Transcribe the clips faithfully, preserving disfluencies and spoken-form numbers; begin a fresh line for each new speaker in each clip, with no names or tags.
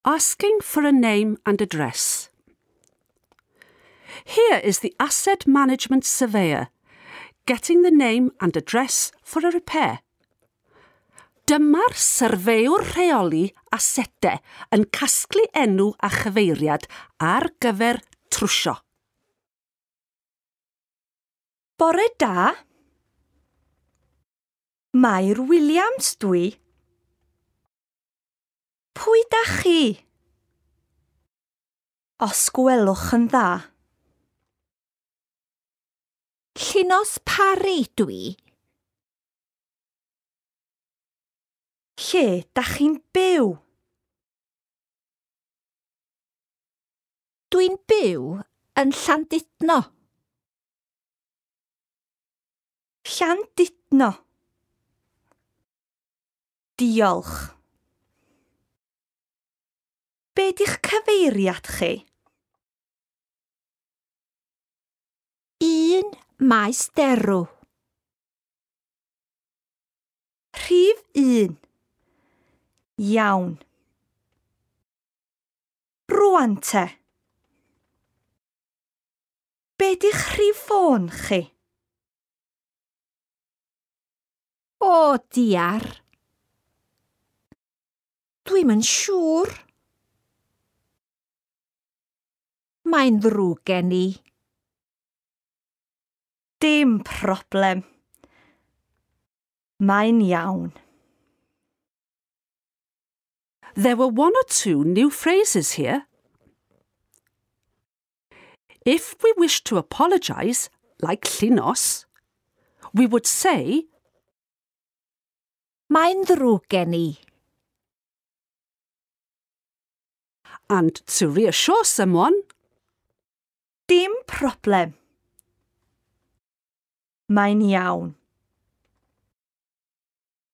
Asking for a name and address. Here is the asset management surveyor, getting the name and address for a repair. Dyma'r syrfeiwr rheoli asedau yn casglu enw a chyfeiriad ar gyfer trwsio.
Bore da. Mair Williams dwi. Pwy da chi? Os gwelwch yn dda.
Llinos Parry dwi.
Lle da chi'n byw?
Dwi'n byw yn Llandudno.
Llandudno. Diolch. Be di'ch cyfeiriad chi?
Un Maes Derw.
Rhif un. Iawn. Rwan te. Be di'ch rhif ffôn chi?
O, diar. Dwi'm yn siŵr. Mae'n ddrwg gen i.
Dim problem. Mae'n iawn.
There were one or two new phrases here. If we wish to apologise, like Llinos, we would say,
Mae'n ddrwg gen i.
And to reassure someone,
Dim problem. Mae'n iawn.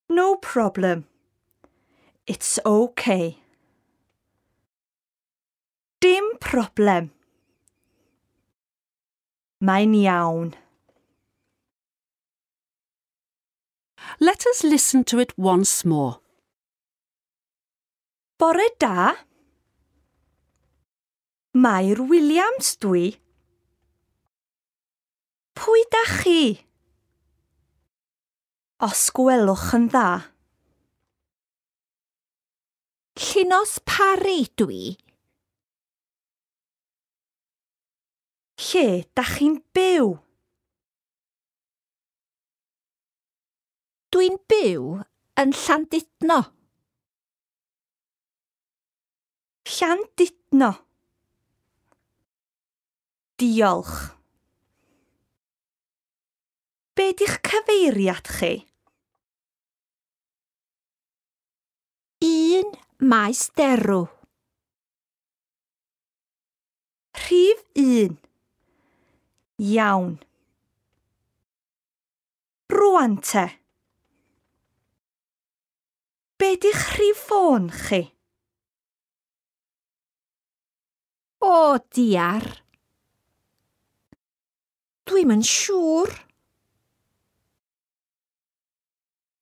No problem. It's okay. Dim problem. Mae'n iawn.
Let us listen to it once more.
Bore da. Mair Williams dwi. Pwy da chi? Os gwelwch yn dda.
Llinos Parry dwi.
Lle da chi'n byw?
Dwi'n byw yn Llandudno.
Llandudno. Diolch. Be di'ch cyfeiriad chi?
Un Maes Derw.
Rhif un. Iawn. Rwan te. Be di'ch rhif ffôn chi?
O, diar. Dwi'm yn siŵr.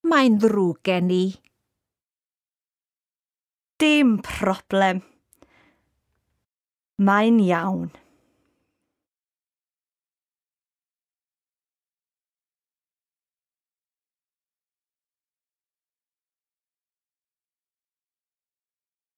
Mae'n ddrwg gen i.
Dim problem. Mae'n iawn.